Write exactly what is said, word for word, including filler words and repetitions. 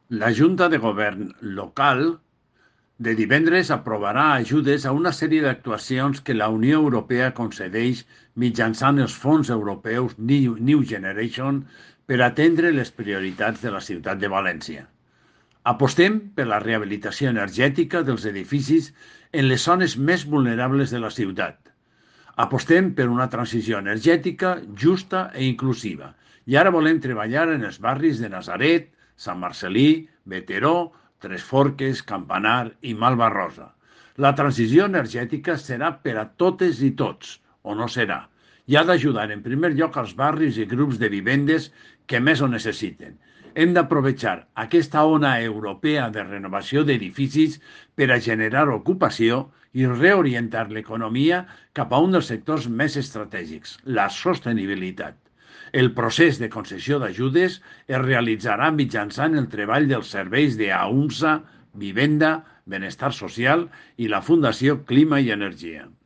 La Junta de Govern local de divendres aprovarà ajudes a una sèrie d'actuacions que la Unió Europea concedeix mitjançant els fons europeus New New Generation per atendre les prioritats de la ciutat de València. Apostem per la rehabilitació energètica dels edificis en les zones més vulnerables de la ciutat. Apostem per una transició energètica justa i inclusiva. I ara volem treballar en els barris de Nazaret, Sant Marcelí, Veteró, Tres Forques, Campanar i Malvarrosa. La transició energètica serà per a totes i tots, o no serà, i ha d'ajudar en primer lloc als barris i grups de vivendes que més ho necessiten. Hem d'aprovechar aquesta ona europea de renovació d'edificis per a generar ocupació i reorientar l'economia cap a un dels sectors més estratègics, la sostenibilitat. El procés de concessió d'ajudes es realitzarà mitjançant el treball dels serveis de AUMSA, Vivenda, Benestar Social i la Fundació Clima i Energia.